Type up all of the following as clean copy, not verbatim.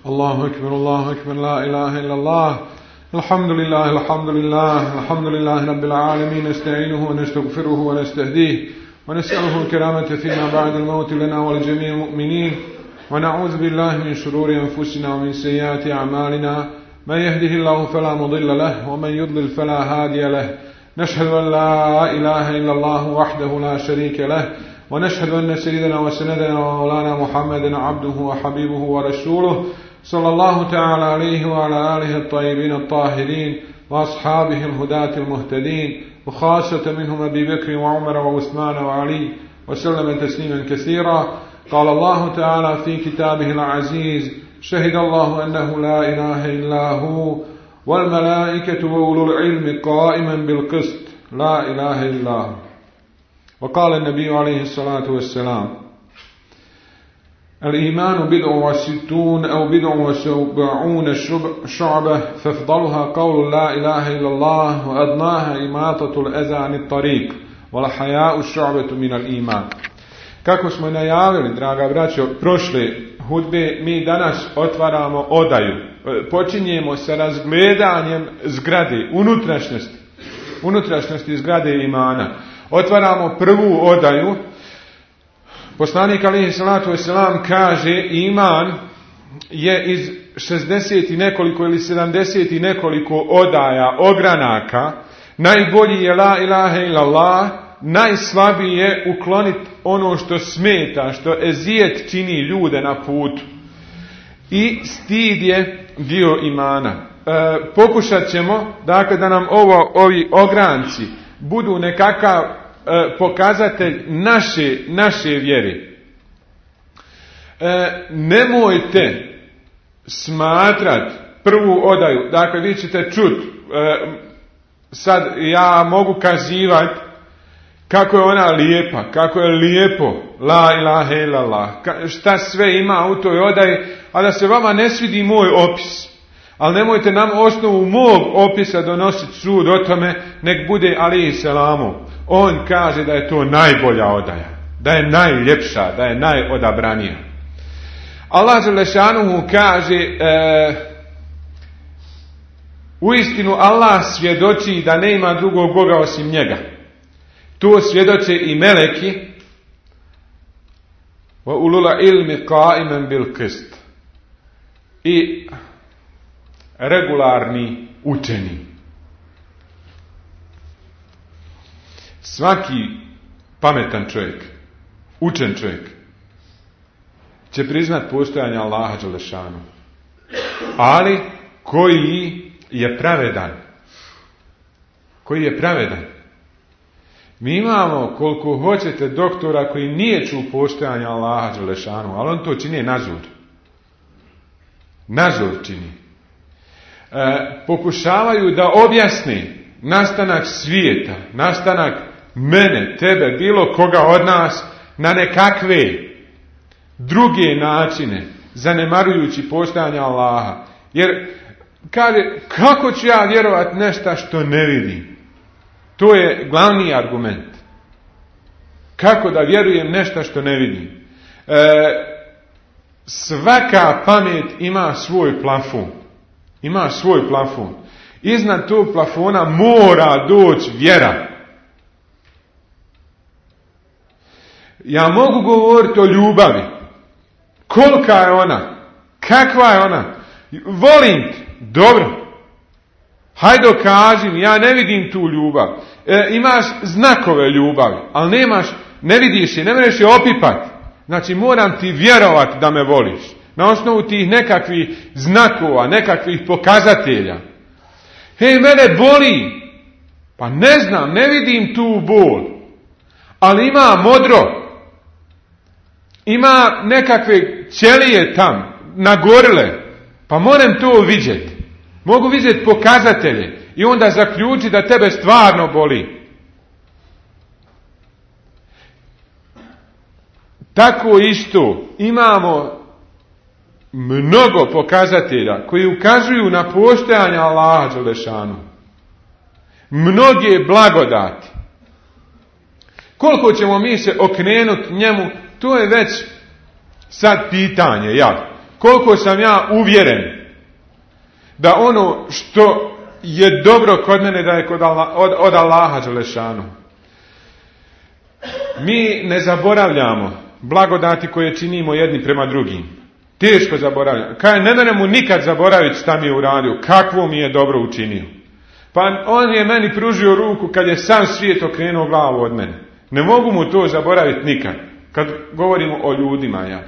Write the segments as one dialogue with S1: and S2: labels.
S1: الله أكبر لا إله إلا الله الحمد لله رب العالمين نستعينه ونستغفره ونستهديه ونسأله الكرامة فيما بعد الموت لنا ولجميع المؤمنين ونعوذ بالله من شرور أنفسنا ومن سيئات أعمالنا من يهده الله فلا مضل له ومن يضلل فلا هادي له نشهد أن لا إله إلا الله وحده لا شريك له ونشهد أن سيدنا وسندنا ومولانا محمدا عبده وحبيبه ورسوله صلى الله تعالى عليه وعلى آله الطيبين الطاهرين وأصحابه الهداة المهتدين وخاصة منهم أبي بكر وعمر وعثمان وعلي وسلم تسليما كثيرا. قال الله تعالى في كتابه العزيز شهد الله أنه لا إله إلا هو والملائكة وأولو العلم قائما بالقسط لا إله إلا هو. وقال النبي عليه الصلاة والسلام الإيمان بضع وستون أو بضع وسبعون شعبة فافضلها قول لا إله إلا الله وأدناها إماطة الأذى عن الطريق والحياء الشعبة من الإيمان. Kako smo najavili, draga braćo, prošle hudbe, mi danas otvaramo odaju. Počinjemo sa razgledanjem zgrade, unutrašnjosti zgrade imana. Otvaramo prvu odaju. Poslanik alejhi salatu vesselam kaže iman je iz 60 i nekoliko ili 70 i nekoliko odaja, ogranaka. Najbolji je la ilaha illallah, najslabiji je ukloniti ono što smeta, što ezijet čini ljude na putu. I stid je dio imana. Pokušat ćemo, dakle, da nam ovi ogranci budu nekakav pokazatelj naše vjere. Nemojte smatrati prvu odaju, dakle vi ćete čuti, sad ja mogu kazivati kako je ona lijepa, kako je lijepo la ilaha illallah, šta sve ima u toj odaji, a da se vama ne svidi moj opis. Ali nemojte nam osnovu mog opisa donositi sud o tome, nek bude alejhi selamu. On kaže da je to najbolja odaja, da je najljepša, da je najodabranija. Allah dželešanuhu kaže, uistinu Allah svjedoči da nema drugog Boga osim njega. To svjedoče i meleki. Wa ulul ilmi qa'iman bil qist. I regularni učeni. Svaki pametan čovjek, učen čovjek, će priznat postojanje Allaha dželešanu. Ali koji je pravedan. Mi imamo koliko hoćete doktora koji nije čuo postojanje Allaha dželešanu, ali on to čini nazor čini. Pokušavaju da objasni nastanak svijeta, nastanak mene, tebe, bilo koga od nas na nekakve druge načine, zanemarujući postojanje Allaha. Jer kaže, kako ću ja vjerovati nešto što ne vidim? To je glavni argument. Kako da vjerujem nešto što ne vidim? Svaka pamet ima svoj plafon. Iznad tog plafona mora doći vjera. Ja mogu govoriti o ljubavi. Kolika je ona? Kakva je ona? Volim te. Dobro. Hajde kažem, ja ne vidim tu ljubav. Imaš znakove ljubavi, ali ne vidiš je, ne možeš je opipati. Znači moram ti vjerovati da me voliš. Na osnovu tih nekakvih znakova, nekakvih pokazatelja. Mene boli. Pa ne znam, ne vidim tu bol. Ali ima modro. Ima nekakve ćelije tam, nagorile. Pa moram to vidjeti. Mogu vidjeti pokazatelje. I onda zaključiti da tebe stvarno boli. Tako isto imamo mnogo pokazatelja koji ukazuju na postojanje Allaha dželešanu. Mnoge blagodati. Koliko ćemo mi se okrenuti njemu, to je već sad pitanje, koliko sam ja uvjeren da ono što je dobro kod mene da je od Allaha dželešanu. Mi ne zaboravljamo blagodati koje činimo jedni prema drugim. Teško zaboravljamo. Ne meremo nikad zaboraviti šta mi je uradio, kakvo mi je dobro učinio. Pa on je meni pružio ruku kad je sam svijet okrenuo glavu od mene. Ne mogu mu to zaboraviti nikad. Kad govorimo o ljudima, ja.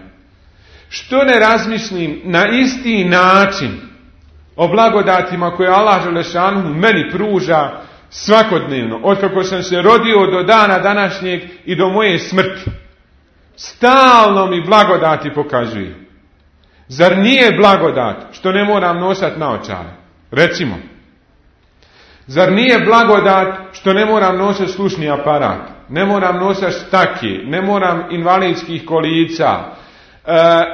S1: Što ne razmislim na isti način o blagodatima koje Allah dželešanu meni pruža svakodnevno, od kako sam se rodio do dana današnjeg i do moje smrti. Stalno mi blagodati pokazuje. Zar nije blagodat što ne moram nosati naočare? Recimo. Zar nije blagodat što ne moram nositi slušni aparat? Ne moram nositi stake, ne moram invalidskih kolica.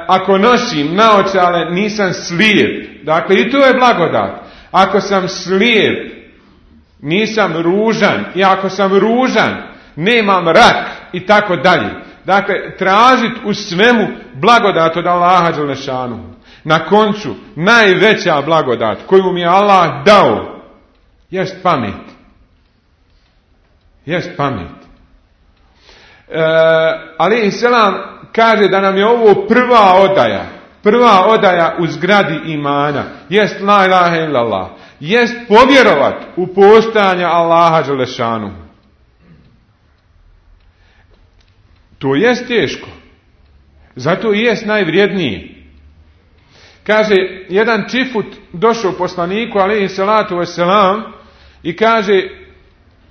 S1: Ako nosim naočale nisam slijep. Dakle, i to je blagodat. Ako sam slijep, nisam ružan. I ako sam ružan, nemam rak i tako dalje. Dakle, tražiti u svemu blagodat od Allaha dželešanu. Na koncu, najveća blagodat koju mi je Allah dao jest pamet. Jest pamet. Alejhi selam kaže da nam je ovo prva odaja u zgradi imana. Jest la ilaha illallah. Jest povjerovat u postojanje Allaha dželešanu. To jest teško. Zato i jest najvrijedniji. Kaže, jedan čifut došao poslaniku, alejhi salatu vesselam, i kaže,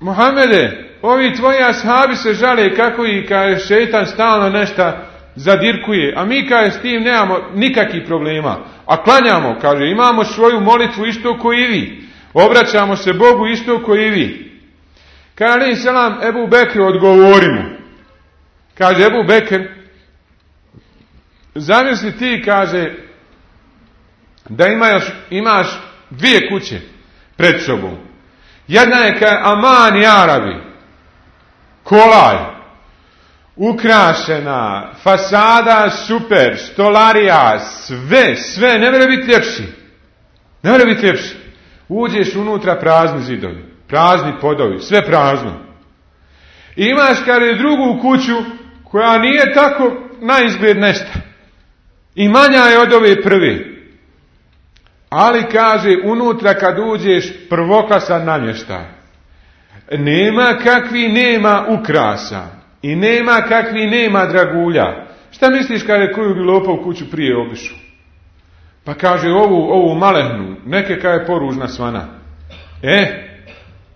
S1: Muhammede, ovi tvoji ashabi se žale kako i kaže šejtan stalno nešto zadirkuje, a mi kaže s tim nemamo nikakvih problema. A klanjamo, kaže, imamo svoju molitvu isto ko i vi. Obraćamo se Bogu isto ko i vi. Kaže, alejhi selam, Ebu Bekr odgovori mu. Kaže Ebu Bekr, zamisli ti, kaže, da imaš dvije kuće pred sobom. Jedna je kao aman i Arabi, kolaj, ukrašena, fasada super, stolarija, sve, ne može biti ljepši. Ne može biti ljepši. Uđeš unutra, prazni zidovi, prazni podovi, sve prazno. I imaš, kaže, drugu kuću koja nije tako na izgled nešto. I manja je od ove prve. Ali, kaže, unutra kad uđeš, prvoklasan namještaj. Nema kakvi nema ukrasa. I nema kakvi nema dragulja. Šta misliš, kaže, koju bi lopao kuću prije obišao? Pa kaže, ovu malehnu, neke kaže poružna svana.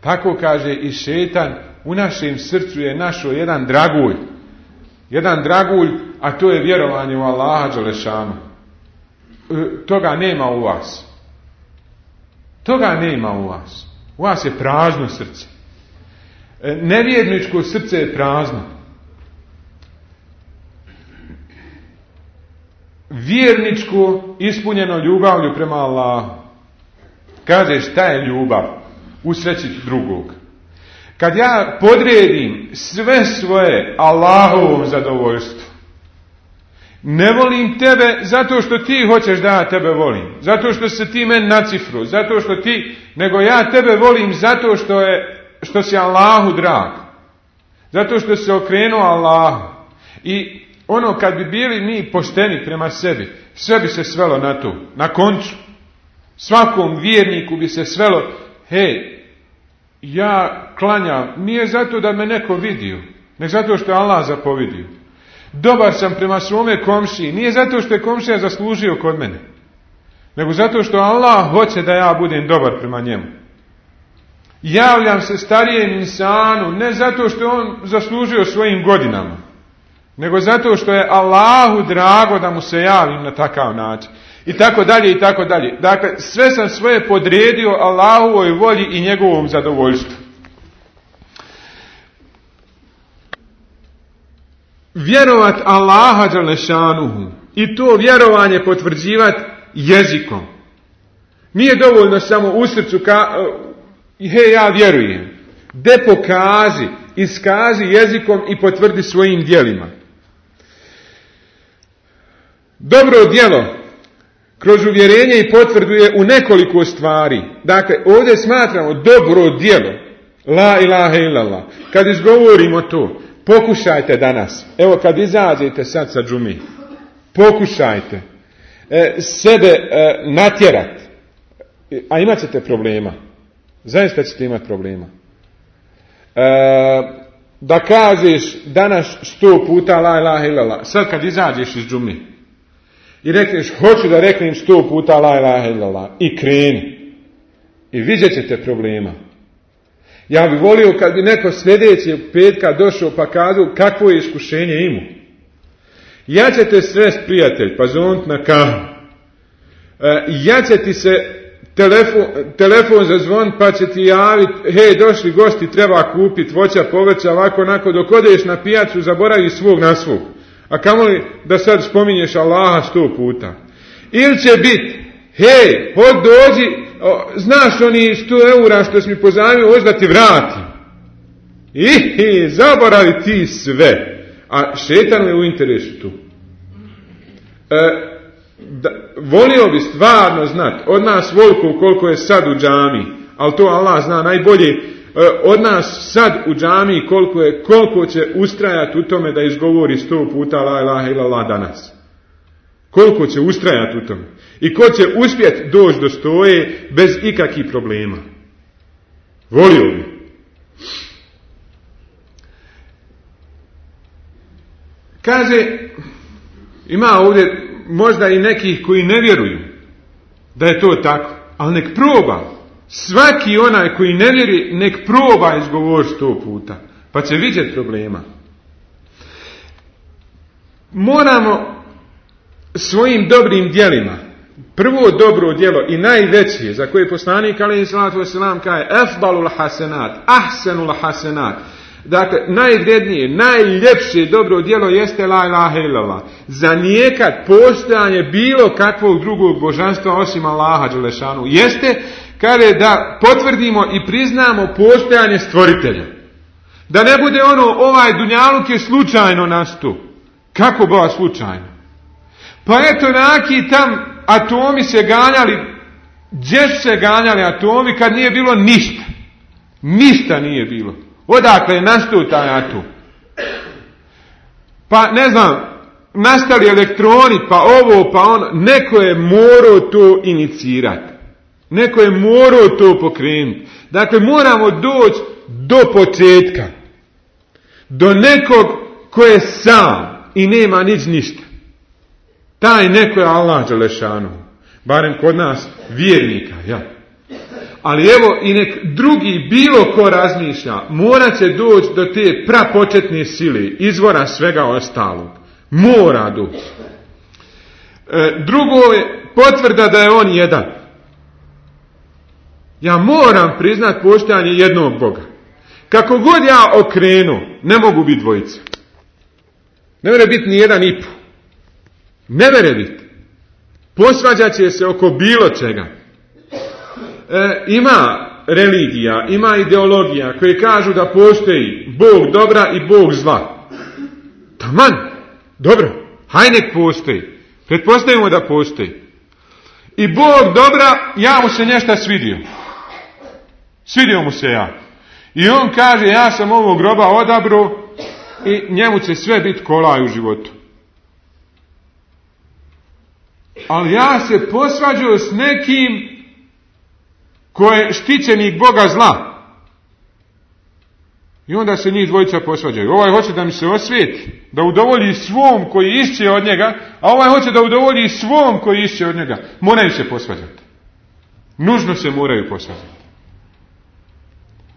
S1: Tako kaže i šetan u našem srcu je našao jedan dragulj. Jedan dragulj, a to je vjerovanje u Allaha dželešanu. Toga nema u vas. Toga nema u vas. U vas je prazno srce. Nevjerničko srce je prazno. Vjerničko ispunjeno ljubavlju prema Allahu. Kaže, šta je ljubav? Usrećiti drugog. Kad ja podredim sve svoje Allahovom zadovoljstvu, ne volim tebe zato što ti hoćeš da ja tebe volim, zato što se ti meni nacifru, zato što ti, nego ja tebe volim zato što si Allahu drag, zato što se okrenuo Allahu. I ono kad bi bili mi pošteni prema sebi, sve bi se svelo na to. Na koncu, svakom vjerniku bi se svelo, ja klanjam, nije zato da me neko vidio, nego zato što je Allah zapovidio. Dobar sam prema svome komšiji, nije zato što je komšija zaslužio kod mene, nego zato što Allah hoće da ja budem dobar prema njemu. Javljam se starijem insanu, ne zato što je on zaslužio svojim godinama, nego zato što je Allahu drago da mu se javim na takav način. I tako dalje, i tako dalje. Dakle, sve sam svoje podredio Allahovoj volji i njegovom zadovoljstvu. Vjerovat Allaha dželešanuhu i to vjerovanje potvrđivati jezikom. Nije dovoljno samo u srcu ja vjerujem. Pokaži, iskaži jezikom i potvrdi svojim djelima. Dobro djelo kroz uvjerenje i potvrdu je u nekoliko stvari. Dakle, ovdje smatramo dobro djelo, la ilaha illallah. Kad izgovorimo to, pokušajte danas, evo kad izađete sad sa džumi, pokušajte sebe natjerati, a imat ćete problema. Zaista ćete imati problema. Da kažeš danas 100 puta la ilaha illallah, sad kad izađeš iz džumi i rekneš hoću da reknem 100 puta la ilaha illallah i kreni i vidjet ćete problema. Ja bih volio kad bi neko sljedećeg petka došao pa kazao kakvo je iskušenje imao. Ja će te srest prijatelj, pa zovnut na kahu. Ja će ti se telefon zazvon pa će ti javiti, hej došli gosti, treba kupiti voća, povrća, ovako, onako, dok odeš na pijacu zaboravi svog na svog. A kamoli da sad spominješ Allaha 100 puta. Ili će biti, hej, hod dođi, znaš oni 100 eura što si mi pozajmio, hoć da ti vratim. I zaboravi ti sve. A šetan je u interesu tu. Volio bi stvarno znati od nas voliko koliko je sad u džami, ali to Allah zna najbolje, od nas sad u džami koliko će ustrajati u tome da izgovori 100 puta la ilaha illallah danas. Koliko će ustrajati u tome. I ko će uspjeti doći do 100 bez ikakvih problema. Volio bi. Kaže, ima ovdje možda i nekih koji ne vjeruju da je to tako, ali nek proba. Svaki onaj koji ne vjeruje, nek proba izgovoriti 100 puta, pa će vidjeti problema. Moramo svojim dobrim djelima, prvo dobro djelo i najveće, za koje poslanik alejhi salatu vesselam kaže afdalul hasenat, ahsenul hasenat, dakle, najvrednije, najljepše dobro djelo jeste la ilaha illallah. Zanijekat postojanje bilo kakvog drugog božanstva osim Allaha dželešanu jeste, kaže, da potvrdimo i priznamo postojanje stvoritelja. Da ne bude ono, ovaj dunjaluk je slučajno nastao. Kako ba slučajno? Pa eto, neki tam atomi se ganjali, gdje su se ganjali atomi kad nije bilo ništa. Ništa nije bilo. Odakle je nastao taj atom? Pa ne znam, nastali elektroni, pa ovo, pa ono, neko je morao to inicirati. Neko je morao to pokrenuti. Dakle, moramo doći do početka. Do nekog ko je sam i nema ništa. Taj neko je Allah dželešanu. Barem kod nas vjernika, ja. Ali evo i nek drugi bilo ko razmišlja, morat će doći do te prapočetne sile, izvora svega ostalog. Mora doći. Drugo je potvrda da je on jedan. Ja moram priznat postojanje jednog Boga. Kako god ja okrenu, ne mogu biti dvojica. Ne mere biti ni jedan i po. Ne mere biti. Posvađat će se oko bilo čega. Ima religija, ima ideologija koje kažu da postoji Bog dobra i Bog zla. Taman, dobro, haj nek postoji. Pretpostavimo da postoji. I Bog dobra, ja mu se nešto svidio. Svidio mu se ja. I on kaže, ja sam ovog groba odabro i njemu će sve biti kolaj u životu. Ali ja se posvađao s nekim ko je štićenik Boga zla. I onda se njih dvojica posvađaju. Ovaj hoće da mi se osvijeti, da udovolji svom koji išće od njega, a ovaj hoće da udovolji svom koji išće od njega. Moraju se posvađati. Nužno se moraju posvađati.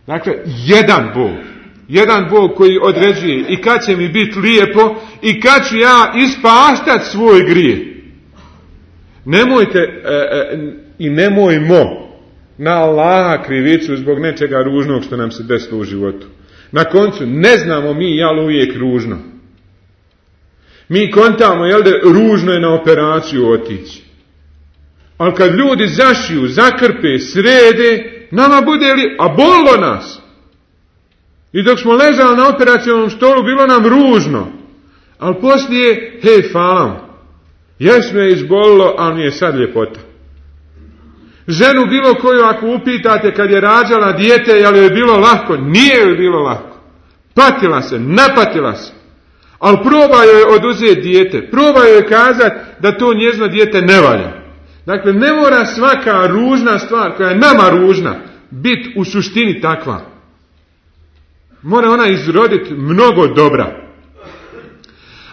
S1: Dakle, jedan Bog koji određuje i kad će mi biti lijepo i kad ću ja ispaštati svoj grije. Nemojte i nemojmo na Allaha krivicu zbog nečega ružnog što nam se desilo u životu. Na koncu ne znamo mi jel uvijek ružno. Mi kontamo jel da ružno je na operaciju otići. Ali kad ljudi zašiju, zakrpe, srede, nama bude li, a bolilo nas. I dok smo ležali na operacionom stolu bilo nam ružno. Ali poslije, hej, hvala. Jes me izbolilo, ali mi je sad ljepota. Ženu bilo koju ako upitate kad je rađala dijete, je li joj bilo lahko? Nije joj bilo lahko. Patila se, napatila se. Ali proba joj oduzeti dijete. Proba joj kazati da to njezino dijete ne valja. Dakle, ne mora svaka ružna stvar koja je nama ružna biti u suštini takva. Mora ona izroditi mnogo dobra.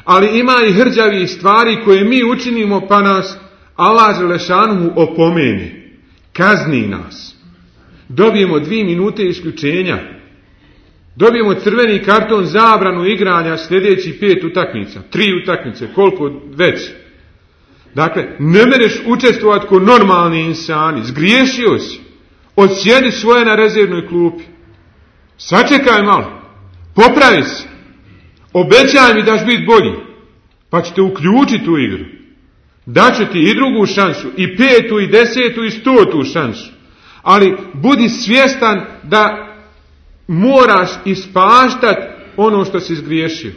S1: Ali ima i hrđavih stvari koje mi učinimo pa nas Allah Đelešanuhu opomeni. Kazni nas. Dobijemo 2 minute isključenja. Dobijemo crveni karton, zabranu igranja sljedećih 5 utakmica. 3 utakmice, koliko već. Dakle, ne mereš učestvovati ko normalni insani. Zgriješio si. Odsjedi svoje na rezervnoj klupi. Sačekaj malo. Popravi se. Obećaj mi da ćeš biti bolji. Pa ćete uključiti u igru. Daću ti i drugu šansu, i 5. i 10. i 100. šansu. Ali budi svjestan da moraš ispaštati ono što si zgriješio.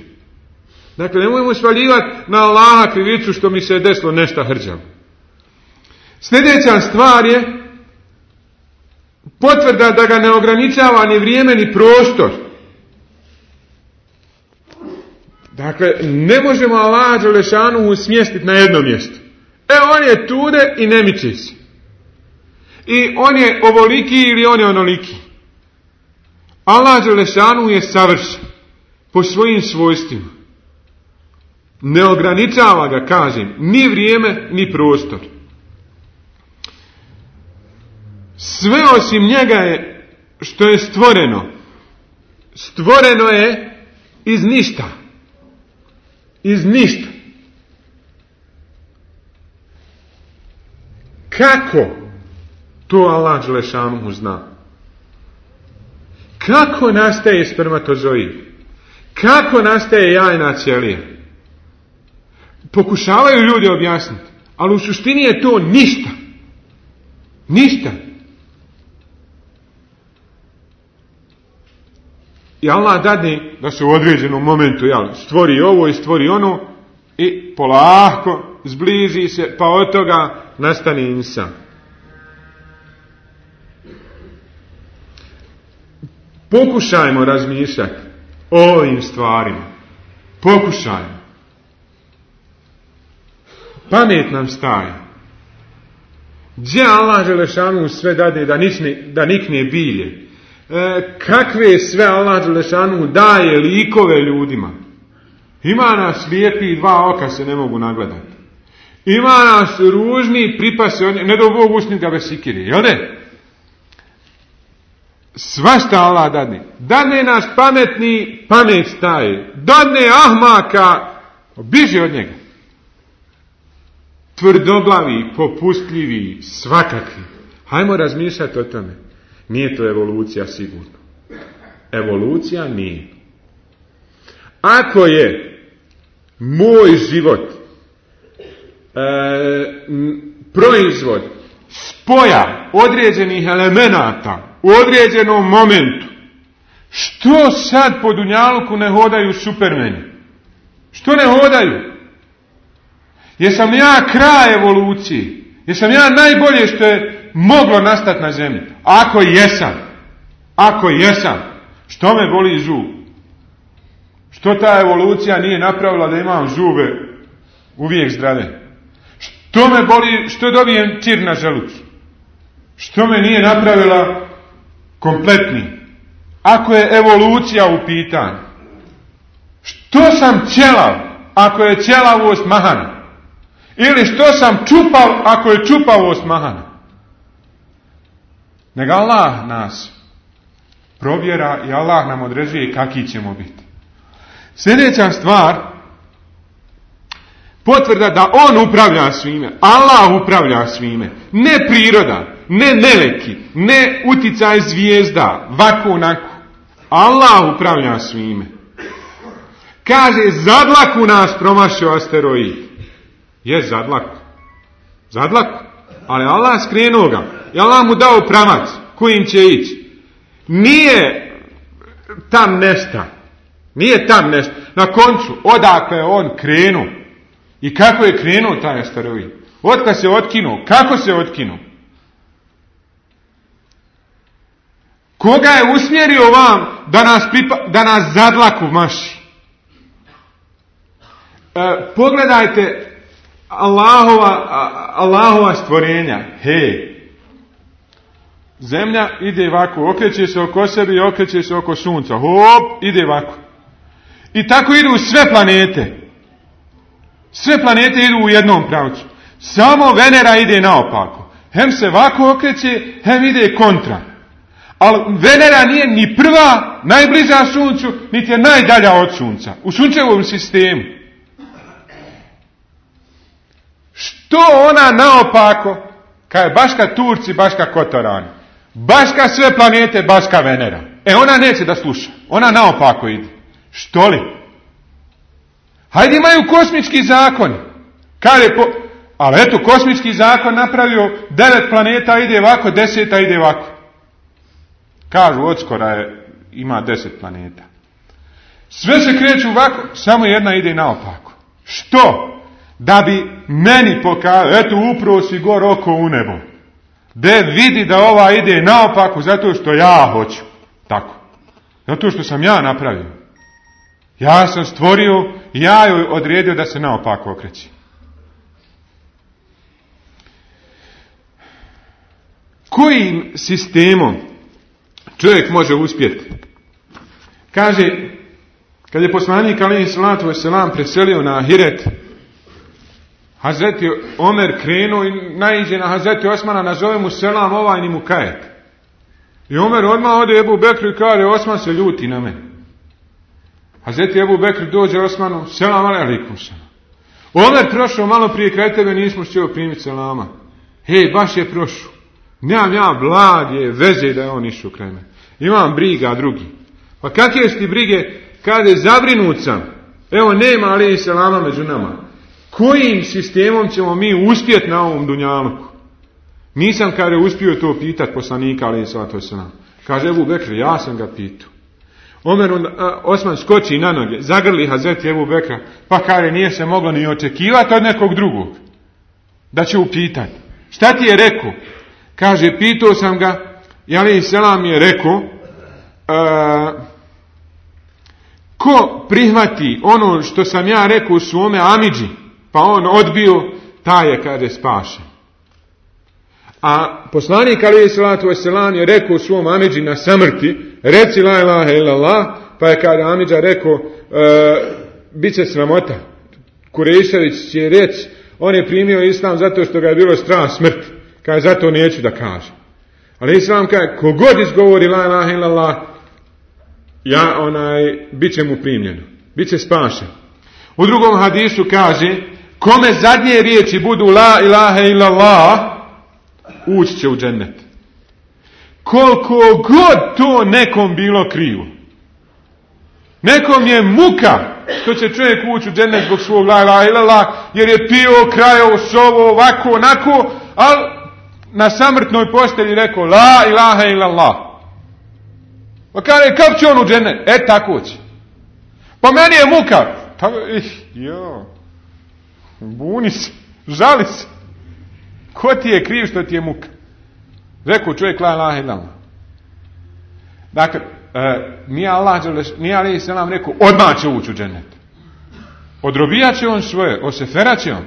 S1: Dakle, nemojmo svaljivati na Allaha krivicu što mi se je desilo nešto hrđavo. Sljedeća stvar je potvrda da ga ne ograničava ni vrijeme ni prostor. Dakle, ne možemo Allaha Đelešanuhu smjestiti na jedno mjesto. On je tude i ne miče se. I on je ovoliki ili on je onoliki. Allah Đelešanuhu je savršen po svojim svojstvima. Ne ograničava ga, kažem, ni vrijeme, ni prostor. Sve osim njega je što je stvoreno. Stvoreno je iz ništa. Iz ništa. Kako to Allah Đelešanuhu zna? Kako nastaje spermatozoid? Kako nastaje jajna ćelija? Pokušavaju ljudi objasniti, ali u suštini je to ništa. Ništa. I Allah dadne da se u određenom momentu stvori ovo i stvori ono i polako zbliži se, pa od toga nastane insan. Pokušajmo razmišljati o ovim stvarima. Pokušajmo. Pamet nam staje. Gdje Allah Đelešanuhu sve dade da nikne bilje? Kakve sve Allah Đelešanuhu daje likove ljudima? Ima nas lijepi 2 oka se ne mogu nagledati. Ima nas ružni pripase, ne do Bog usnit ga bez sikire, jel ne? Svašta Allah dadne. Dadne nas pametni, pamet staje. Dadne ahmaka, biži od njega. Tvrdoglavi, popustljivi, svakakvi. Hajmo razmišljati o tome. Nije to evolucija sigurno. Evolucija nije. Ako je moj život proizvod spoja određenih elemenata u određenom momentu, što sad po dunjaluku ne hodaju supermeni? Što ne hodaju? Jesam ja kraj evolucije? Jesam ja najbolje što je moglo nastati na zemlji? Ako jesam, što me boli zub? Što ta evolucija nije napravila da imam zube uvijek zdrave? Što me boli, što dobijem čir na želucu? Što me nije napravila kompletni? Ako je evolucija u pitanju. Što sam ćelav ako je ćelavost mahana? Ili što sam čupav ako je čupavost mahana? Nego Allah nas provjera i Allah nam određuje kakvi ćemo biti. Sljedeća stvar, potvrda da On upravlja svime, Allah upravlja svime, ne priroda, ne meleki, ne uticaj zvijezda, vako onako. Allah upravlja svime. Kaže, zadlaku nas promašio asteroid. Je zadlaku. Ali Allah skrenuo ga. I Allah mu dao pravac kojim će ići. Nije tam nešto. Na koncu, odakle je on krenuo I kako je krenuo taj asteroid? Otkad se otkinuo? Kako se otkinuo? Koga je usmjerio vam da nas zadlaku maši? Pogledajte Allahova stvorenja. Hej, zemlja ide ovako, okreće se oko sebe i okreće se oko sunca. Hop, ide ovako. I tako idu sve planete. Sve planete idu u jednom pravcu. Samo Venera ide naopako. Hem se ovako okreće, hem ide kontra. Ali Venera nije ni prva, najbliža suncu, niti je najdalja od sunca. U sunčevom sistemu. Što ona naopako, kad je baš ka Turci, baš ka Kotorani, baš ka sve planete, baš ka Venera. Ona neće da sluša. Ona naopako ide. Što li? Hajde, imaju kosmički zakon. Ali eto, kosmički zakon napravio 9 planeta, ide ovako, 10 ide ovako. Kažu, odskora ima 10 planeta. Sve se kreću ovako, samo jedna ide naopako. Što? Da bi meni pokazao, eto, upravo si gor oko u nebo. De vidi da ova ide naopako zato što ja hoću. Tako. Zato što sam ja napravio. Ja sam stvorio, ja joj odredio da se naopako okreći. Kojim sistemom čovjek može uspjeti? Kaže, kad je poslanik alejhi salatu vesselam preselio na Ahiret, Hazreti Omer krenuo i naiđe na Hazreti Osmana, nazove mu selam ovaj ni mu kajet. I Omer odmah ode Ebu Bekru i kaže, Osman se ljuti na mene. Hazreti Ebu Bekr dođe Osmanu, selam alejkum selam. Omer prošao malo prije kraj tebe, nismo htio primiti selama. Hej, baš je prošao. Nemam ja blage veze da je on išao kraj mene. Imam briga drugi. Pa kakve su ti brige? Kaže, zabrinut sam. Evo, nema alejhi selama među nama. Kojim sistemom ćemo mi uspjeti na ovom dunjaluku? Nisam, kaže, uspio to pitati poslanika alejhi salatu vesselam. Kaže Ebu Bekr, ja sam ga pitao. Osman skoči na noge, zagrli Hazreti Ebu Bekra, pa kaže, nije se moglo ni očekivati od nekog drugog da će upitati. Šta ti je rekao? Kaže, pitao sam ga, i alejhi selam je rekao, ko prihvati ono što sam ja rekao u svome amidži, pa on odbio, taj je, kaže, spašen. A poslanik alejhi salatu vesselam je rekao u svom amidži na samrti, reci la ilaha illallah, pa je kada amidža rekao, bit će sramota. Kurejšević će reći, on je primio islam zato što ga je bilo strah smrti. Kaže, zato neću da kaže. Ali islam kaže, kogod izgovori la ilaha illallah, bit će mu primljeno. Bit će spašen. U drugom hadisu kaže, kome zadnje riječi budu la ilaha illallah, ući će u džennet. Koliko god to nekom bilo krivo. Nekom je muka što će čovjek ući u džennet zbog svog la ilaha illallah, jer je pio, krajao, sovo, ovako, onako, ali na samrtnoj postelji rekao la ilaha illallah. Pa kaže, kako će on u džennet? Tako će. Pa meni je muka. Pa, buni se, žali se. Ko ti je kriv što ti je muka? Rekao čovjek la ilaha illallah. Dakle, nije alejhi selam rekao, odmah će ući u džennet. Odrobijat će on svoje, oseferat će on,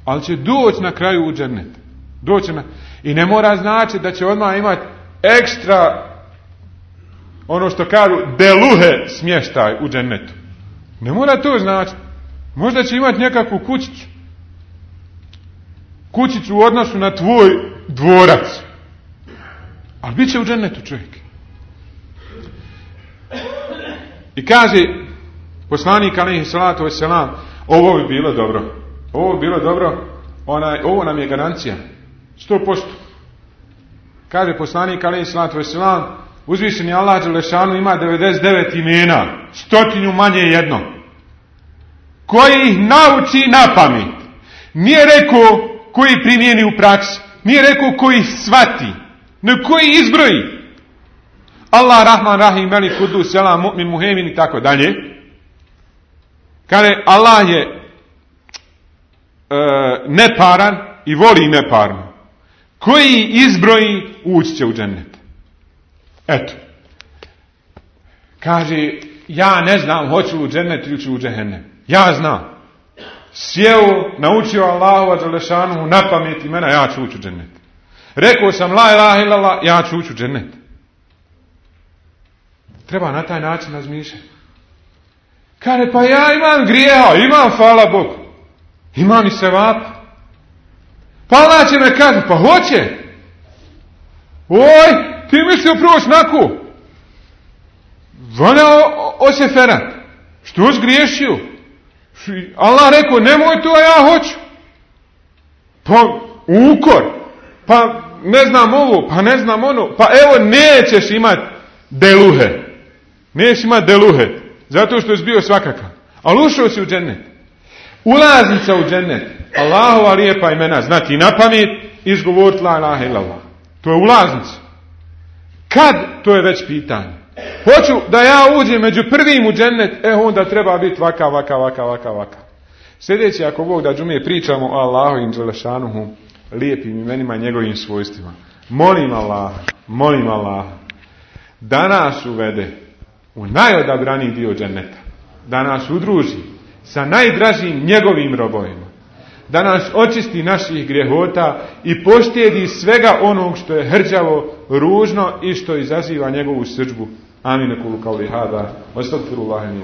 S1: ali će doći na kraju u džennet. I ne mora znači da će odmah imati ekstra, ono što kažu, deluhe smještaj u džennetu. Ne mora to znači. Možda će imati nekakvu kućicu. Kućicu u odnosu na tvoj dvorac. Ali bit će u džennetu čovjek. I kaže poslanik alejhi salatu vesselam, ovo bi bilo dobro. Ovo nam je garancija. 100%. Kaže poslanik alejhi salatu vesselam, uzvišeni Allah dželešanu ima 99 imena, 100 manje jedno. Koji ih nauči na pamet. Nije rekao koji primijeni u praksi. Nije rekao koji shvati. Ne koji izbroji. Allah, Rahman, Rahim, Melik, Kudus, Selam, Mu'min, Muhemin i tako dalje. Kaže, Allah je neparan i voli neparno. Koji izbroji ući će u džennet. Eto. Kaže, ja ne znam hoću u džennet ili ću u džehennem. Ja znam. Sjeo, naučio Allahu dželešanu na pamet imena, ja ću ući u džennet. Rekao sam la ilaha illallah, ja ću ući u džennet. Treba na taj način razmišljati. Kaže, pa ja imam grijeha, imam, hvala Bogu. Imam i sevapa. Pa Allah će me kazniti, pa hoće. Oj, ti mislio proći naku. Vana oseferat. Što zgriješio? Allah rekao, nemoj to, a ja hoću. Pa ukor. Pa ne znam ovo, pa ne znam ono. Pa evo, nećeš imati deluhe. Nećeš imati deluhe. Zato što je bio svakakav. Ali ušao si u džennet. Ulaznica u džennet. Allahova lijepa imena. Znati na pamet i izgovoriti la ilaha illallah. To je ulaznica. Kad? To je već pitanje. Hoću da ja uđem među prvim u džennet, onda treba biti vaka. Sljedeći, ako Bog da džumije, pričamo o Allahovim dželešanuhu, lijepim imenima i njegovim svojstvima. Molim Allah, da nas uvede u najodabraniji dio dženneta. Da nas udruži sa najdražim njegovim robovima. Da nas očisti naših grehota i poštedi svega onog što je hrđavo, ružno i što izaziva njegovu srdžbu. Amin. Kulu kauli hada. Astagfirullahi min.